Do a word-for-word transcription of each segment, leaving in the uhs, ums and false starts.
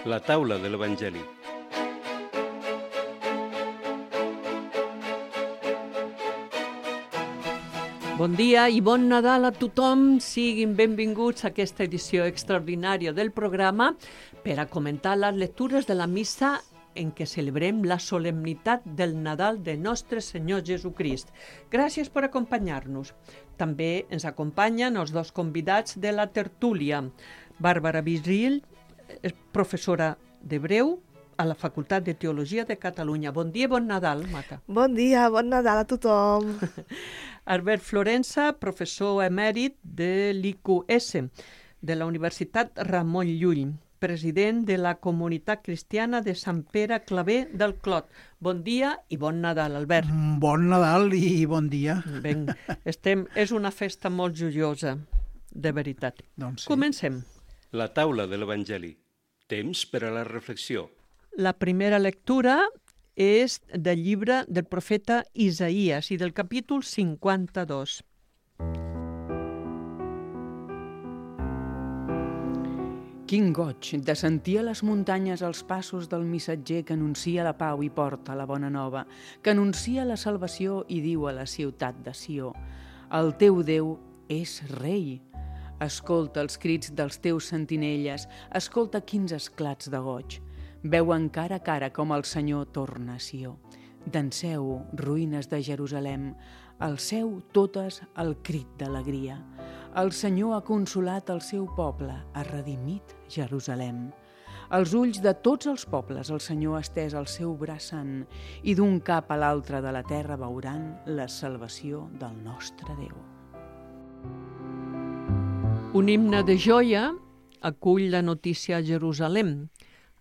La taula de l'Evangeli. Bon dia i bon Nadal a tothom. Siguin benvinguts a aquesta edició extraordinària del programa per a comentar les lectures de la missa en què celebrem la solemnitat del Nadal de Nostre Senyor Jesucrist. Gràcies per acompanyar-nos. També ens acompanyen els dos convidats de la tertúlia. Bàrbara Virgil, professora d'hebreu a la Facultat de Teologia de Catalunya. Bon dia i bon Nadal, Maca. Bon dia, bon Nadal a tothom. Albert Florença, professor emèrit de l'I Q S, de la Universitat Ramon Llull, president de la Comunitat Cristiana de Sant Pere Claver del Clot. Bon dia i bon Nadal, Albert. Bon Nadal i bon dia. Ben, estem, és una festa molt joiosa, de veritat. Doncs sí. Comencem. La taula de l'Evangeli. Temps per a la reflexió. La primera lectura és del llibre del profeta Isaïes i del capítol cinquanta-dos. Quin goig de sentir a les muntanyes els passos del missatger que anuncia la pau i porta la bona nova, que anuncia la salvació i diu a la ciutat de Sió: el teu Déu és rei. Escolta els crits dels teus sentinelles, escolta quins esclats de goig. Veuen cara a cara com el Senyor torna a Sió. Danseu, ruïnes de Jerusalem, alceu totes el crit d'alegria. El Senyor ha consolat el seu poble, ha redimit Jerusalem. Als ulls de tots els pobles el Senyor ha estès el seu braç sant i d'un cap a l'altre de la terra veuran la salvació del nostre Déu. Un himne de joia acull la notícia a Jerusalem.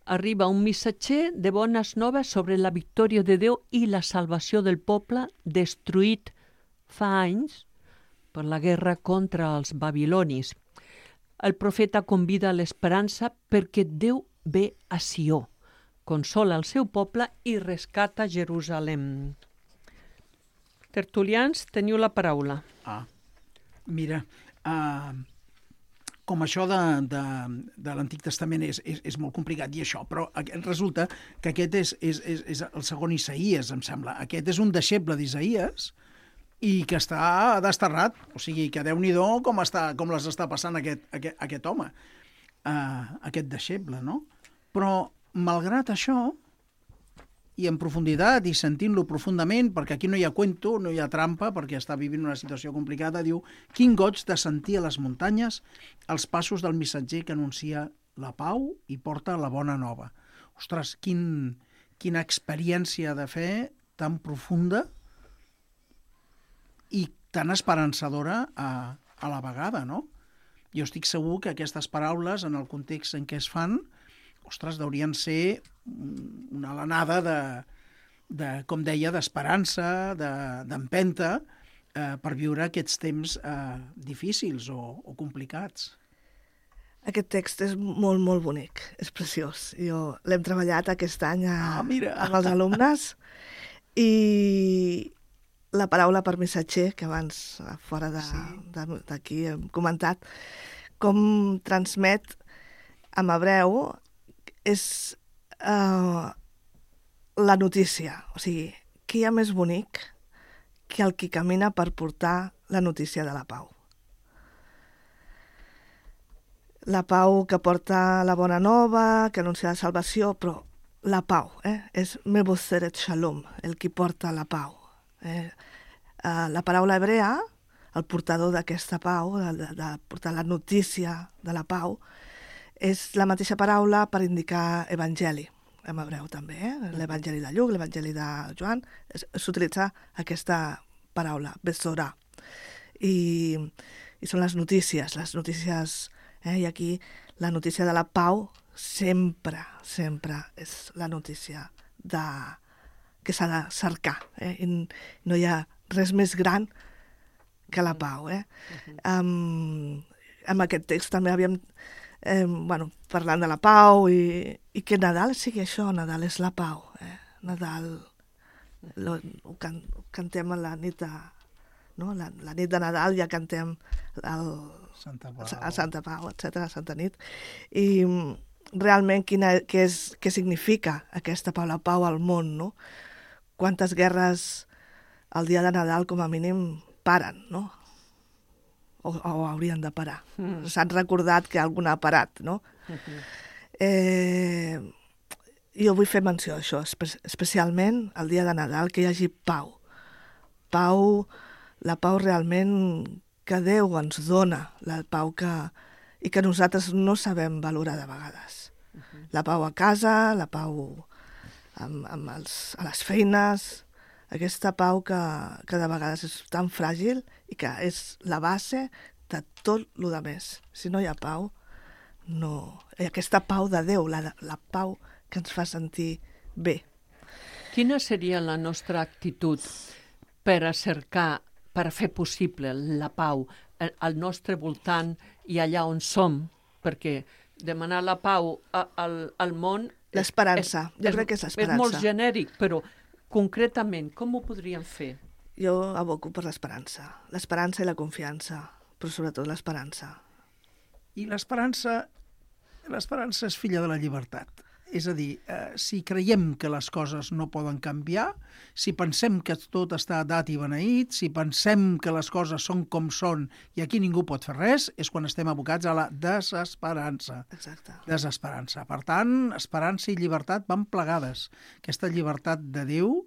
Arriba un missatger de bones noves sobre la victòria de Déu i la salvació del poble destruït fa anys per la guerra contra els babilonis. El profeta convida a l'esperança perquè Déu ve a Sió, consola el seu poble i rescata Jerusalem. Tertulians, teniu la paraula. Ah, mira, uh, com això de, de, de l'Antic Testament és, és, és molt complicat i això, però resulta que aquest és, és, és, és el segon Isaïes, em sembla. Aquest és un deixeble d'Isaïes i que està desterrat, o sigui, que Déu-n'hi-do com, està, com les està passant aquest, aquest, aquest home, uh, aquest deixeble, no? Però, malgrat això, i en profunditat, i sentint-lo profundament, perquè aquí no hi ha cuento, no hi ha trampa, perquè està vivint una situació complicada, diu: quin goig de sentir a les muntanyes els passos del missatger que anuncia la pau i porta la bona nova. Ostres, quin, quina experiència de fe tan profunda i tan esperançadora a, a la vegada, no? Jo estic segur que aquestes paraules, en el context en què es fan, ostres, deurien ser una alenada de, de com deia, d'esperança, de, d'empenta, eh, per viure aquests temps eh, difícils o, o complicats. Aquest text és molt, molt bonic, és preciós. Jo l'hem treballat aquest any a, Ah, mira. amb els alumnes i la paraula per missatger, que abans fora de, Sí. de, d'aquí hem comentat, com transmet en hebreu és uh, la notícia. O sigui, què hi ha més bonic que el qui camina per portar la notícia de la pau? La pau que porta la bona nova, que anuncia la salvació, però la pau, eh? és Meboseret Shalom, el qui porta la pau. Eh? Uh, la paraula hebrea, el portador d'aquesta pau, de, de, de portar la notícia de la pau, és la mateixa paraula per indicar evangeli, en hebreu també, eh? L'evangeli de Lluc, l'evangeli de Joan, s'utilitza aquesta paraula, besorà. I, i són les notícies, les notícies, eh? I aquí la notícia de la pau sempre, sempre és la notícia de, que s'ha de cercar. Eh? I no hi ha res més gran que la pau. Eh? Uh-huh. Um, amb aquest text també havíem Eh, bueno, parlant de la pau i, i que Nadal sigui això, Nadal és la pau. Eh? Nadal lo, ho, can, ho cantem a la nit de, no? la, la nit de Nadal ja cantem el, Santa Pau. a Santa Pau, etcètera, a Santa Nit. I, realment quina, què, és, què significa aquesta pau, la pau al món, no? Quantes guerres el dia de Nadal, com a mínim, paren, no? O, o haurien de parar. Mm. S'han recordat que alguna ha parat, no? Mm-hmm. Eh, jo vull fer menció d'això, espe especialment el dia de Nadal, que hi hagi pau. Pau, la pau realment que Déu ens dona, la pau que... i que nosaltres no sabem valorar de vegades. Uh-huh. La pau a casa, la pau amb, amb els, a les feines, aquesta pau que, que de vegades és tan fràgil i que és la base de tot el que més. Si no hi ha pau, no... I aquesta pau de Déu, la, la pau que ens fa sentir bé. Quina seria la nostra actitud per a cercar, per a fer possible la pau al nostre voltant i allà on som? Perquè demanar la pau a, al, al món... L'esperança, jo crec que és l'esperança. És molt genèric, però concretament, com ho podríem fer? Jo aboco per l'esperança. L'esperança i la confiança, però sobretot l'esperança. I l'esperança, l'esperança és filla de la llibertat. És a dir, eh, si creiem que les coses no poden canviar, si pensem que tot està dat i beneït, si pensem que les coses són com són i aquí ningú pot fer res, és quan estem abocats a la desesperança. Exacte. Desesperança. Per tant, esperança i llibertat van plegades. Aquesta llibertat de Déu,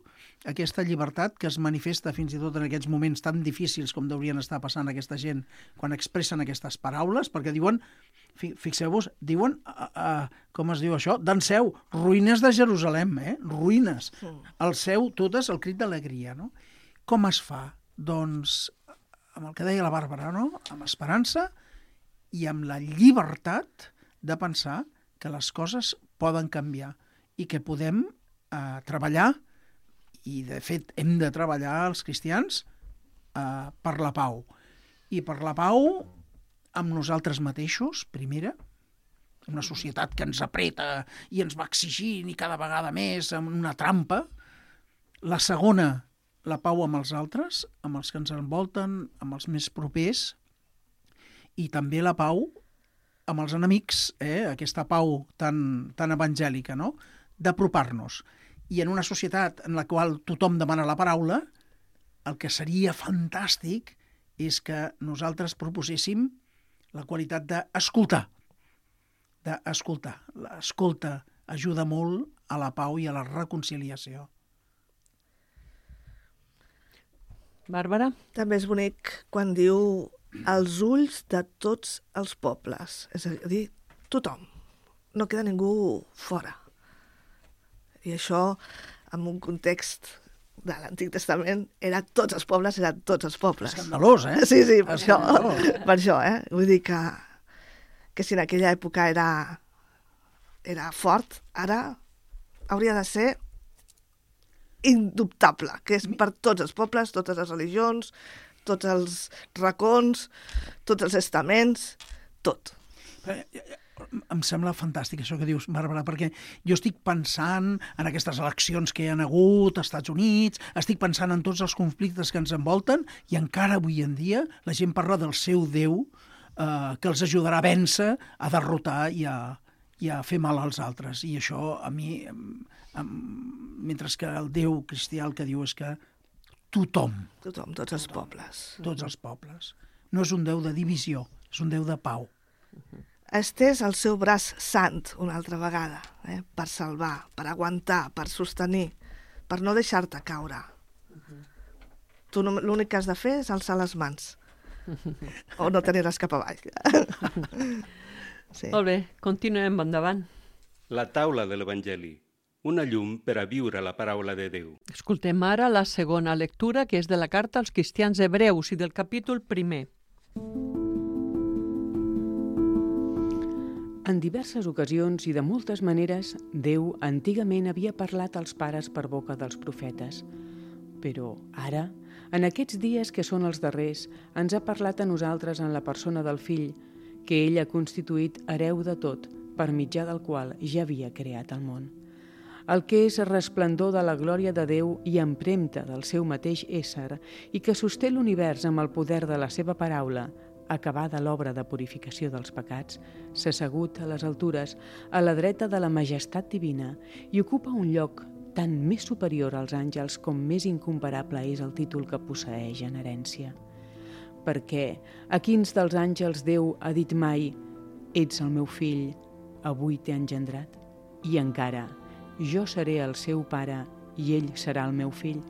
aquesta llibertat que es manifesta fins i tot en aquests moments tan difícils com deurien estar passant aquesta gent quan expressen aquestes paraules, perquè diuen, fixeu-vos, diuen, uh, uh, com es diu això? D'en seu, ruïnes de Jerusalem, eh? Ruïnes. El seu, totes, el crit d'alegria, no? Com es fa? Doncs, amb el que deia la Bàrbara, no? Amb esperança i amb la llibertat de pensar que les coses poden canviar i que podem uh, treballar, i de fet hem de treballar els cristians uh, per la pau. I per la pau amb nosaltres mateixos, primera, una societat que ens apreta i ens va exigint i cada vegada més amb una trampa. La segona, la pau amb els altres, amb els que ens envolten, amb els més propers, i també la pau amb els enemics, eh? Aquesta pau tan, tan evangèlica, no? D'apropar-nos. I en una societat en la qual tothom demana la paraula, el que seria fantàstic és que nosaltres proposéssim la qualitat d'escoltar. D'escoltar. L'escolta ajuda molt a la pau i a la reconciliació. Bàrbara? També és bonic quan diu els ulls de tots els pobles. És a dir, tothom. No queda ningú fora. I això, en un context de l'Antic Testament, era tots els pobles, eren tots els pobles. Escandalós, eh? Sí, sí, per això, per això, eh? Vull dir que, que si en aquella època era, era fort, ara hauria de ser indubtable, que és per tots els pobles, totes les religions, tots els racons, tots els estaments, tot. Em sembla fantàstic això que dius, Bàrbara, perquè jo estic pensant en aquestes eleccions que hi ha hagut als Estats Units, estic pensant en tots els conflictes que ens envolten i encara avui en dia la gent parla del seu Déu eh, que els ajudarà a vèncer, a derrotar i a, i a fer mal als altres. I això a mi, em, mentre que el Déu cristià el que diu és que tothom, Tothom, tots els pobles. tots els pobles, no és un Déu de divisió, és un Déu de pau. Estès el seu braç sant una altra vegada, eh? Per salvar, per aguantar, per sostenir, per no deixar-te caure. Uh-huh. Tu no, l'únic que has de fer és alçar les mans. O no tenir-les cap avall. Sí. Molt bé, continuem endavant. La taula de l'Evangeli, una llum per a viure la paraula de Déu. Escoltem ara la segona lectura, que és de la carta als cristians hebreus i del capítol primer. En diverses ocasions i de moltes maneres, Déu antigament havia parlat als pares per boca dels profetes. Però ara, en aquests dies que són els darrers, ens ha parlat a nosaltres en la persona del Fill, que ell ha constituït hereu de tot, per mitjà del qual ja havia creat el món. El que és resplendor de la glòria de Déu i empremta del seu mateix ésser i que sosté l'univers amb el poder de la seva paraula, acabada l'obra de purificació dels pecats, s'ha assegut a les altures, a la dreta de la majestat divina, i ocupa un lloc tant més superior als àngels com més incomparable és el títol que posseeix en herència. Perquè a quins dels àngels Déu ha dit mai «Ets el meu fill, avui t'he engendrat», i encara «Jo seré el seu pare i ell serà el meu fill».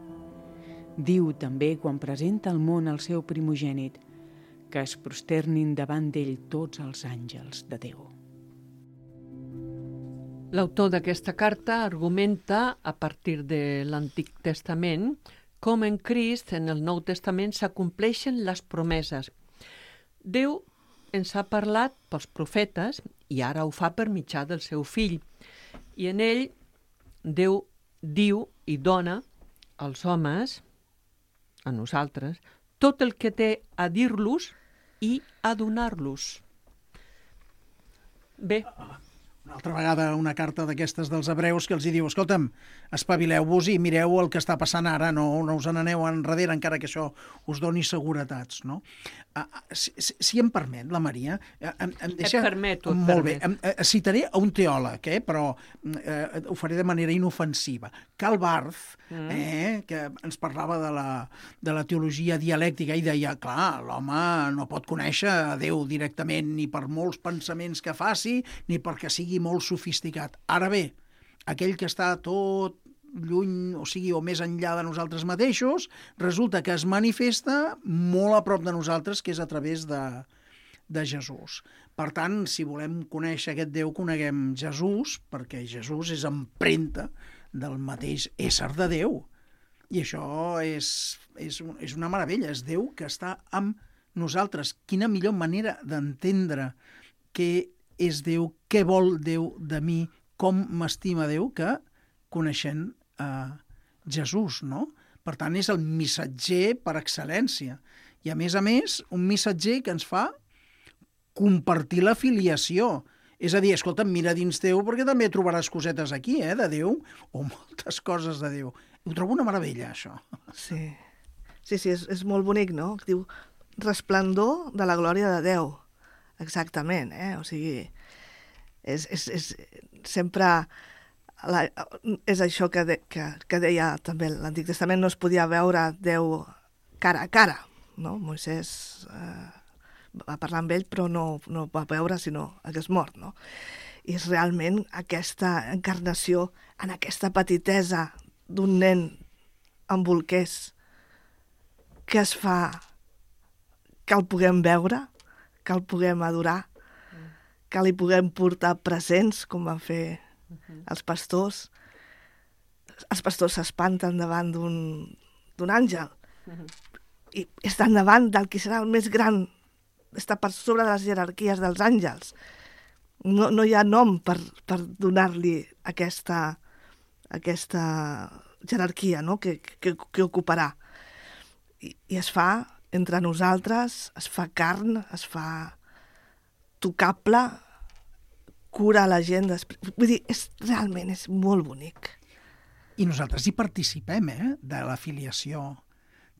Diu també quan presenta al món el seu primogènit que es prosternin davant d'ell tots els àngels de Déu. L'autor d'aquesta carta argumenta, a partir de l'Antic Testament, com en Crist, en el Nou Testament, s'acompleixen les promeses. Déu ens ha parlat pels profetes i ara ho fa per mitjà del seu fill. I en ell, Déu diu i dona als homes, a nosaltres, tot el que té a dir-los i a donar-los. Bé, una altra vegada una carta d'aquestes dels hebreus que els hi diu, escolta'm, espavileu-vos i mireu el que està passant ara, no, no us n'aneu enrere encara que això us doni seguretats, no? Uh, si, si em permet, la Maria... Em, em deixa... Et permeto, et Molt permet. bé, em, eh, citaré a un teòleg, eh, però eh, ho faré de manera inofensiva. Karl Barth, mm. eh, que ens parlava de la, de la teologia dialèctica i deia, clar, l'home no pot conèixer a Déu directament ni per molts pensaments que faci, ni perquè sigui molt sofisticat. Ara bé, aquell que està tot lluny, o sigui, o més enllà de nosaltres mateixos, resulta que es manifesta molt a prop de nosaltres, que és a través de, de Jesús. Per tant, si volem conèixer aquest Déu, coneguem Jesús, perquè Jesús és empremta del mateix ésser de Déu. I això és, és, és una meravella, és Déu que està amb nosaltres. Quina millor manera d'entendre què és Déu, què vol Déu de mi, com m'estima Déu, que coneixent eh, Jesús, no? Per tant, és el missatger per excel·lència. I, a més a més, un missatger que ens fa compartir la filiació. És a dir, escolta, mira dins teu perquè també trobaràs cosetes aquí, eh, de Déu, o moltes coses de Déu. Ho trobo una meravella, això. Sí, sí, sí és, és molt bonic, no? Diu, resplendor de la glòria de Déu. Exactament, eh? O sigui, és, és, és sempre... La, és això que, de, que, que deia també l'Antic Testament, no es podia veure Déu cara a cara, no? Moisès eh, va parlar amb ell, però no, no va veure, sinó hagués mort, no? I és realment aquesta encarnació en aquesta petitesa d'un nen amb bolquers que es fa que el puguem veure, que el puguem adorar, que li puguem portar presents, com van fer els pastors. Els pastors s'espanten davant d'un d'un àngel i estan davant del que serà el més gran, està per sobre de les jerarquies dels àngels. No, no hi ha nom per, per donar-li aquesta, aquesta jerarquia, no? que, que, que ocuparà. I, I es fa entre nosaltres, es fa carn, es fa tocable, cura la gent després. Vull dir, és, realment és molt bonic. I nosaltres hi participem, eh?, de la filiació,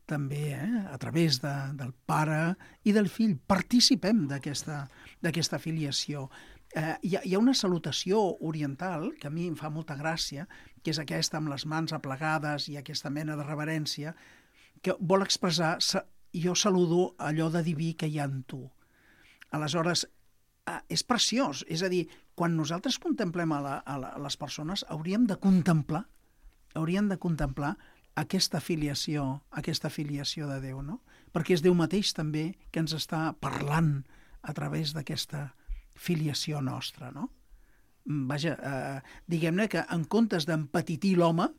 també, eh?, a través de, del pare i del fill. Participem d'aquesta d'aquesta filiació. Eh, hi, ha, hi ha una salutació oriental que a mi em fa molta gràcia, que és aquesta amb les mans aplegades i aquesta mena de reverència, que vol expressar, jo saludo allò de diví que hi ha en tu. Aleshores, eh, és preciós, és a dir, quan nosaltres contemplem a, la, a, la, a les persones, hauríem de contemplar, hauríem de contemplar aquesta filiació, aquesta filiació de Déu, no? Perquè és Déu mateix també que ens està parlant a través d'aquesta filiació nostra, no? Vaja, eh, diguem-ne que en comptes d'empetitir l'home,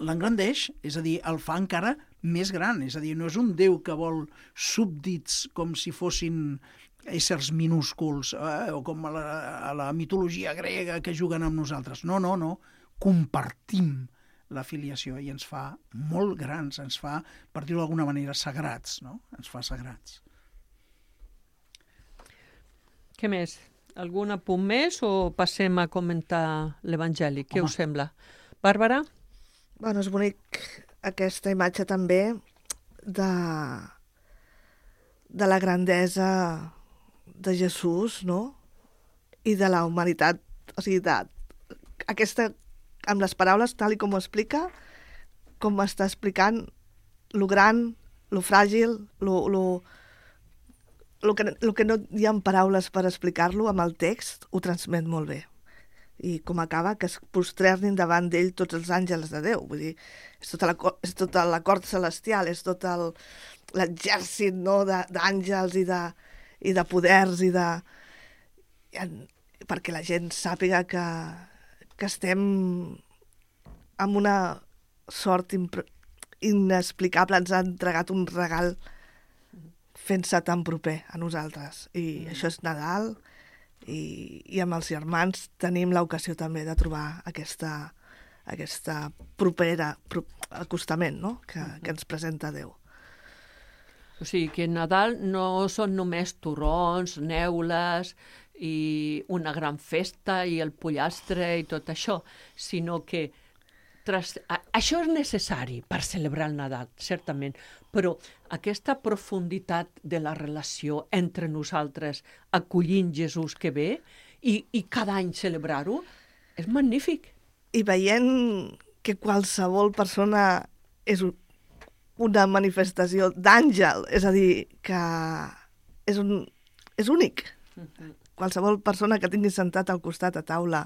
l'engrandeix, és a dir, el fa encara més gran, és a dir, no és un Déu que vol súbdits com si fossin éssers minúsculs, eh, o com a la, a la mitologia grega que juguen amb nosaltres. No, no, no. Compartim la filiació i ens fa molt grans, ens fa, per dir-ho d'alguna manera, sagrats, no? Ens fa sagrats. Què més? Algun apunt més o passem a comentar l'Evangeli? Què Home. us sembla? Bàrbara? Bueno, és bonic aquesta imatge també de, de la grandesa de Jesús, no? I de la humanitat, o sigui, de, aquesta, amb les paraules, tal i com ho explica, com està explicant lo gran, lo fràgil, lo, lo, lo, que, lo que no hi ha paraules per explicar-lo, amb el text ho transmet molt bé. I com acaba, que es posternin davant d'ell tots els àngels de Déu. Vull dir, és tota la, és tota la cort celestial, és tot el, l'exèrcit, no?, d'àngels i de, i de poders i de... perquè la gent sàpiga que, que estem amb una sort impre, inexplicable, ens ha entregat un regal fent-se tan proper a nosaltres. I mm. això és Nadal, i, i amb els germans tenim l'ocasió també de trobar aquesta, aquesta propera pro, acostament, no?, que, mm-hmm. que ens presenta Déu. O sigui que Nadal no són només torrons, neules i una gran festa i el pollastre i tot això, sinó que tras... això és necessari per celebrar el Nadal, certament, però aquesta profunditat de la relació entre nosaltres acollint Jesús que ve i, i cada any celebrar-ho és magnífic. I veient que qualsevol persona és una manifestació d'àngel, és a dir, que és, un, és únic. Uh-huh. Qualsevol persona que tinguis sentat al costat a taula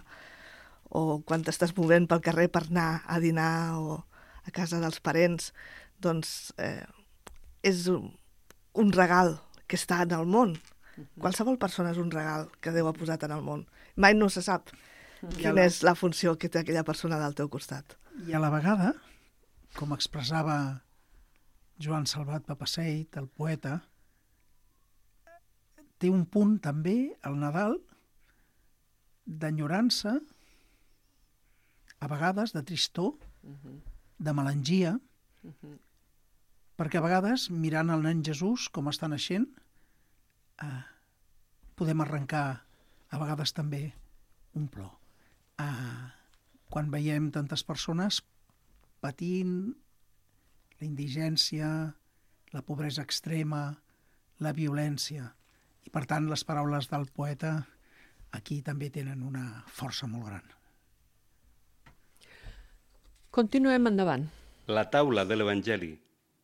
o quan t'estàs movent pel carrer per anar a dinar o a casa dels parents, doncs eh, és un, un regal que està en el món. Uh-huh. Qualsevol persona és un regal que Déu ha posat en el món. Mai no se sap uh-huh. quina és la funció que té aquella persona del teu costat. I a la vegada, com expressava Joan Salvat Papasseit, el poeta, té un punt també, el Nadal, d'enyorança, a vegades de tristor, uh-huh. de melangia, uh-huh. perquè a vegades, mirant el nen Jesús, com està naixent, eh, podem arrencar a vegades també un plor. Eh, quan veiem tantes persones patint la indigència, la pobresa extrema, la violència. I, per tant, les paraules del poeta aquí també tenen una força molt gran. Continuem endavant. La taula de l'Evangeli.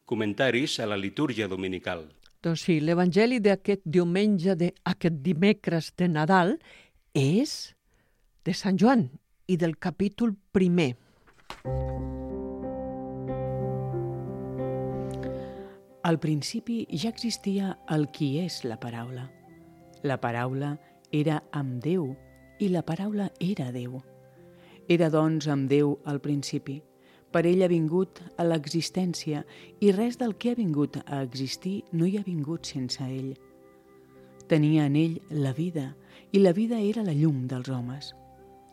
Comentaris a la litúrgia dominical. Doncs sí, l'Evangeli d'aquest diumenge, d'aquest dimecres de Nadal, és de Sant Joan i del capítol primer. Al principi ja existia el qui és la paraula. La paraula era amb Déu i la paraula era Déu. Era, doncs, amb Déu al principi. Per ell ha vingut a l'existència i res del que ha vingut a existir no hi ha vingut sense ell. Tenia en ell la vida i la vida era la llum dels homes.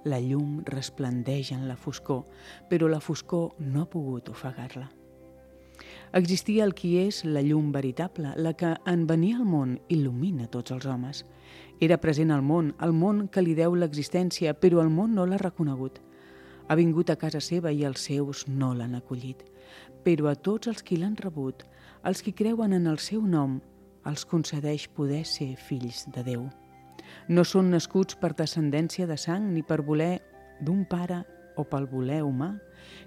La llum resplendeix en la foscor, però la foscor no ha pogut ofegar-la. Existia el qui és la llum veritable, la que en venir al món il·lumina tots els homes. Era present al món, al món que li deu l'existència, però el món no l'ha reconegut. Ha vingut a casa seva i els seus no l'han acollit. Però a tots els qui l'han rebut, els qui creuen en el seu nom, els concedeix poder ser fills de Déu. No són nascuts per descendència de sang ni per voler d'un pare o pel voler humà,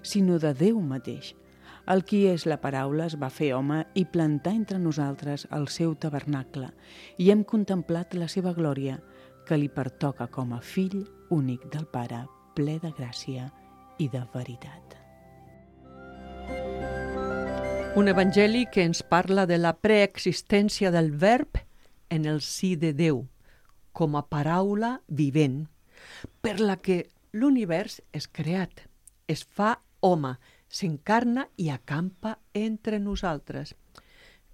sinó de Déu mateix. El qui és la paraula es va fer home i plantar entre nosaltres el seu tabernacle i hem contemplat la seva glòria, que li pertoca com a fill únic del Pare, ple de gràcia i de veritat. Un evangeli que ens parla de la preexistència del verb en el si de Déu, com a paraula vivent, per la que l'univers és creat, es fa home, s'encarna i acampa entre nosaltres.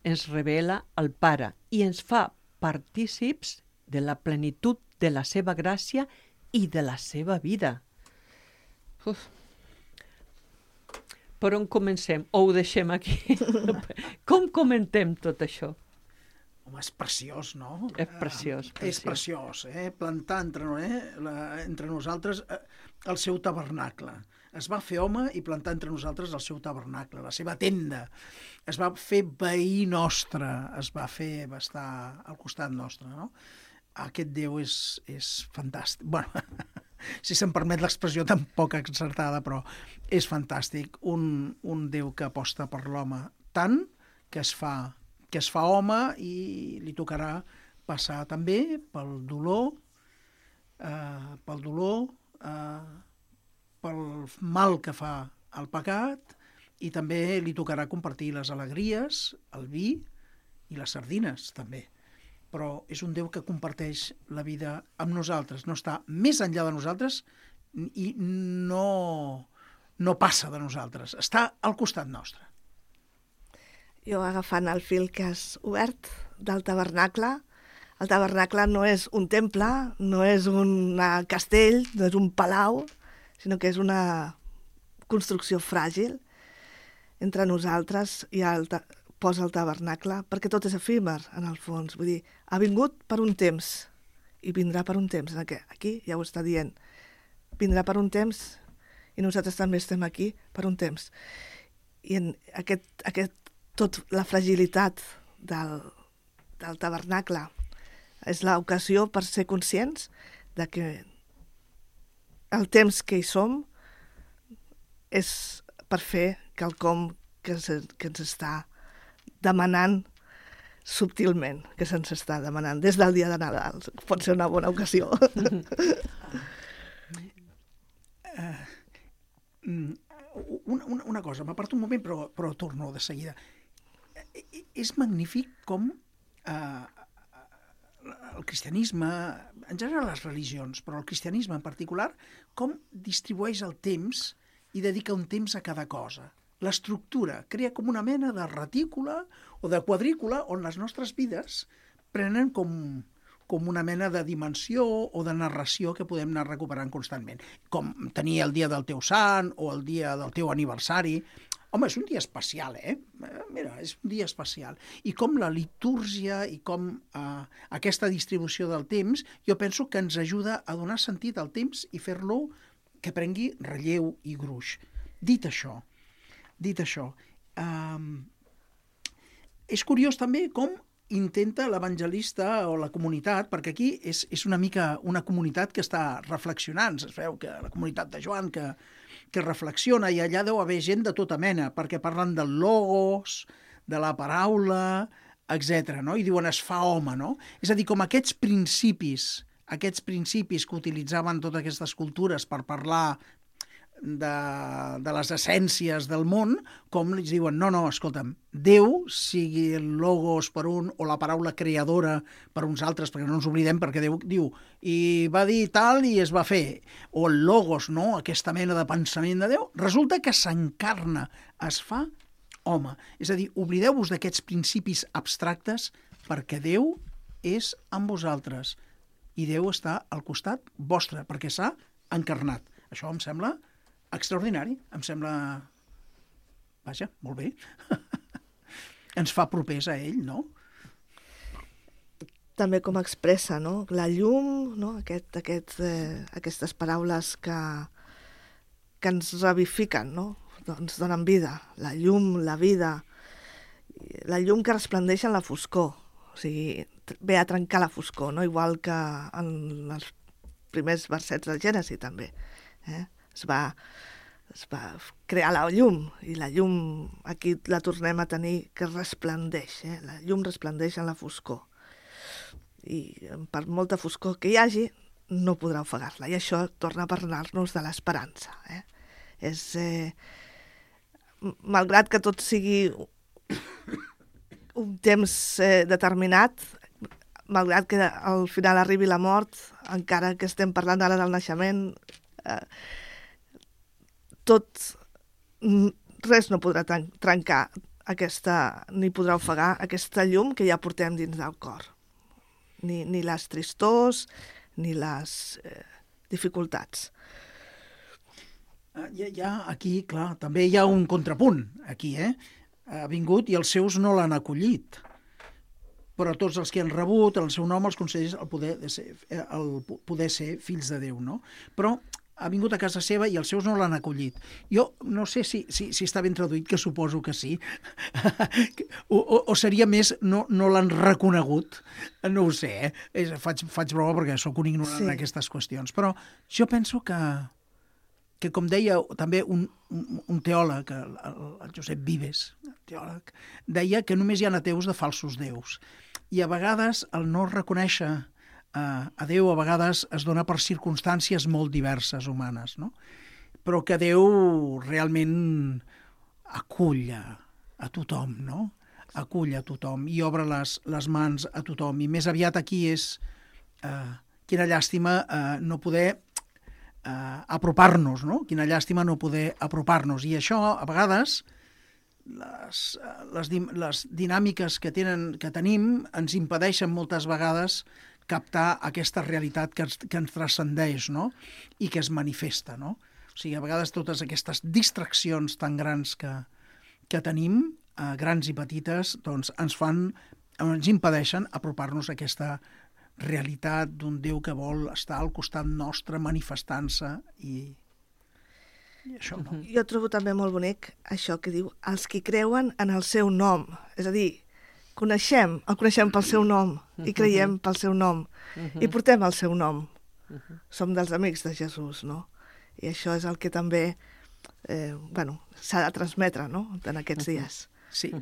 Ens revela el Pare i ens fa partícips de la plenitud de la seva gràcia i de la seva vida. Uf. Per on comencem? O ho deixem aquí? Com comentem tot això? Home, és preciós, no? És preciós, Eh, és preciós. preciós, eh? Plantar entre, eh? la, entre nosaltres eh, el seu tabernacle. Es va fer home i plantar entre nosaltres el seu tabernacle, la seva tenda. Es va fer veí nostre, es va fer, va estar al costat nostre, no? Aquest Déu és, és fantàstic. Bueno, si se'm permet l'expressió tan poc encertada, però és fantàstic. Un, un Déu que aposta per l'home tant que es fa que es fa home i li tocarà passar també pel dolor, eh, pel dolor, eh, pel mal que fa el pecat, i també li tocarà compartir les alegries, el vi i les sardines, també. Però és un Déu que comparteix la vida amb nosaltres, no està més enllà de nosaltres i no, no passa de nosaltres, està al costat nostre. Jo, agafant el fil que has obert del tabernacle, el tabernacle no és un temple, no és un castell, no és un palau, sinó que és una construcció fràgil. Entre nosaltres hi ha el ta- posa el tabernacle, perquè tot és efímer, en el fons. Vull dir, ha vingut per un temps i vindrà per un temps. En aquest, aquí ja ho està dient. Vindrà per un temps i nosaltres també estem aquí per un temps. I en aquest, aquest tot la fragilitat del, del tabernacle és l'ocasió per ser conscients de que el temps que hi som és per fer quelcom que, se, que ens està demanant subtilment, que se'ns està demanant des del dia de Nadal. Pot ser una bona ocasió. uh, una, una, una cosa, m'aparto un moment però, però torno de seguida. És magnífic com eh, el cristianisme, en general les religions, però el cristianisme en particular, com distribueix el temps i dedica un temps a cada cosa. L'estructura crea com una mena de retícula o de quadrícula on les nostres vides prenen com, com una mena de dimensió o de narració que podem anar recuperant constantment. Com tenir el dia del teu sant o el dia del teu aniversari. Home, és un dia especial, eh? Mira, és un dia especial. I com la litúrgia i com eh, aquesta distribució del temps, jo penso que ens ajuda a donar sentit al temps i fer-lo que prengui relleu i gruix. Dit això, dit això, eh, és curiós també com intenta l'evangelista o la comunitat, perquè aquí és, és una mica una comunitat que està reflexionant. Es veu que la comunitat de Joan, que que reflexiona, i allà deu haver gent de tota mena, perquè parlen del logos, de la paraula, etcètera, no? I diuen es fa home, no? És a dir, com aquests principis, aquests principis que utilitzaven totes aquestes cultures per parlar de, de les essències del món, com li diuen, no, no, escolta'm, Déu, sigui el logos per un o la paraula creadora per uns altres, perquè no ens oblidem, perquè Déu diu, i va dir tal i es va fer, o el logos, no?, aquesta mena de pensament de Déu, resulta que s'encarna, es fa home. És a dir, oblideu-vos d'aquests principis abstractes perquè Déu és amb vosaltres i Déu està al costat vostre perquè s'ha encarnat. Això em sembla extraordinari, em sembla... Vaja, molt bé. Ens fa propers a ell, no? També com expressa, no? La llum, no? Aquest, aquest, eh, aquestes paraules que, que ens revifiquen, no? Ens donen vida. La llum, la vida, la llum que resplendeix en la foscor. O sigui, ve a trencar la foscor, no? Igual que en els primers versets del Gènesi, també. Eh? Es va, es va crear la llum, i la llum aquí la tornem a tenir que resplendeix, eh? La llum resplendeix en la foscor. I per molta foscor que hi hagi, no podrà ofegar-la. I això torna a parlar-nos de l'esperança. Eh? És, eh, malgrat que tot sigui un temps eh, determinat, malgrat que al final arribi la mort, encara que estem parlant ara del naixement, eh, tot, res no podrà trencar aquesta, ni podrà ofegar aquesta llum que ja portem dins del cor. Ni, ni les tristors, ni les eh, dificultats. Hi ha, hi ha aquí, clar, també hi ha un contrapunt, aquí, eh? Ha vingut i els seus no l'han acollit. però tots els que han rebut el seu nom els concedeix el poder, de ser, el poder ser fills de Déu, no? Però ha vingut a casa seva i els seus no l'han acollit. Jo no sé si, si, si està ben traduït, que suposo que sí, o, o, o seria més no, no l'han reconegut, no ho sé, eh? És, faig, faig broma perquè sóc un ignorant sí. en aquestes qüestions, però jo penso que, que com deia també un, un, un teòleg, el, el Josep Vives, teòleg, deia que només hi ha ateus de falsos déus, i a vegades el no reconèixer a Déu a vegades es dona per circumstàncies molt diverses humanes, no? Però que Déu realment acull a, a tothom, no? Acull a tothom i obre les, les mans a tothom. I més aviat aquí és eh, quina llàstima eh, no poder eh, apropar-nos, no? Quina llàstima no poder apropar-nos. I això, a vegades, les, les, les dinàmiques que, tenen, que tenim ens impedeixen moltes vegades captar aquesta realitat que ens, que ens transcendeix, no? I que es manifesta, no? O sigui, a vegades totes aquestes distraccions tan grans que, que tenim, eh, grans i petites, doncs ens fan, ens impedeixen apropar-nos a aquesta realitat d'un Déu que vol estar al costat nostre manifestant-se i, i això, no? Jo trobo també molt bonic això que diu els que creuen en el seu nom, és a dir, coneixem, el coneixem pel seu nom i creiem pel seu nom i portem el seu nom. Som dels amics de Jesús, no? I això és el que també eh, bueno, s'ha de transmetre, no?, en aquests dies. Sí,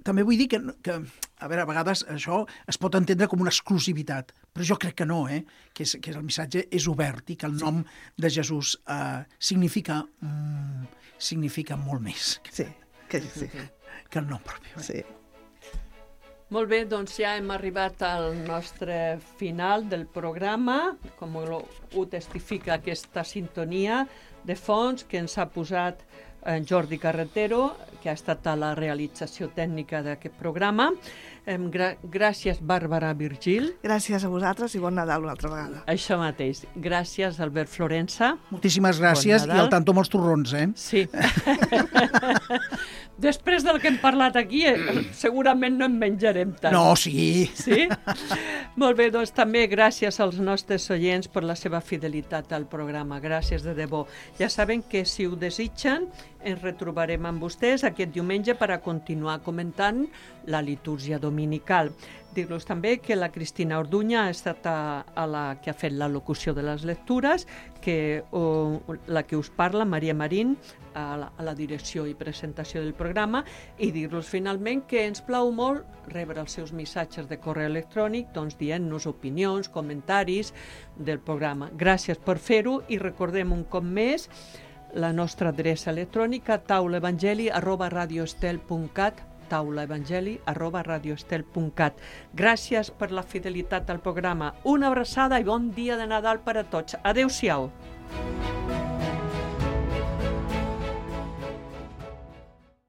també vull dir que, que, a veure, a vegades això es pot entendre com una exclusivitat, però jo crec que no, eh? que, és, que el missatge és obert i que el nom de Jesús eh, significa, mm, significa molt més que, sí, que, sí. que el nom propi. Eh? Sí. Molt bé, doncs ja hem arribat al nostre final del programa, com ho testifica aquesta sintonia de fons que ens ha posat en Jordi Carretero, que ha estat a la realització tècnica d'aquest programa. Gra- gràcies, Bàrbara Virgil. Gràcies a vosaltres i bon Nadal una altra vegada. Això mateix. Gràcies, Albert Florença. Moltíssimes gràcies bon i al tanto amb els torrons, eh? Sí. Després del que hem parlat aquí, segurament no en menjarem tant. No, sí. Sí? Molt bé, doncs també gràcies als nostres oients per la seva fidelitat al programa. Gràcies de debò. Ja saben que si ho desitgen, ens retrobarem amb vostès aquest diumenge per a continuar comentant la litúrgia dominical. Dir-los també que la Cristina Orduña ha estat a, a la que ha fet la locució de les lectures, que o, la que us parla, Maria Marín, a la, a la direcció i presentació del programa, i dir-los finalment que ens plau molt rebre els seus missatges de correu electrònic, doncs dient-nos opinions, comentaris del programa. Gràcies per fer-ho i recordem un cop més la nostra adreça electrònica taulaevangeli arroba radioestel punt cat taulaevangeli arroba radioestel punt cat. Gràcies per la fidelitat al programa. Una abraçada i bon dia de Nadal per a tots. Adéu-siau.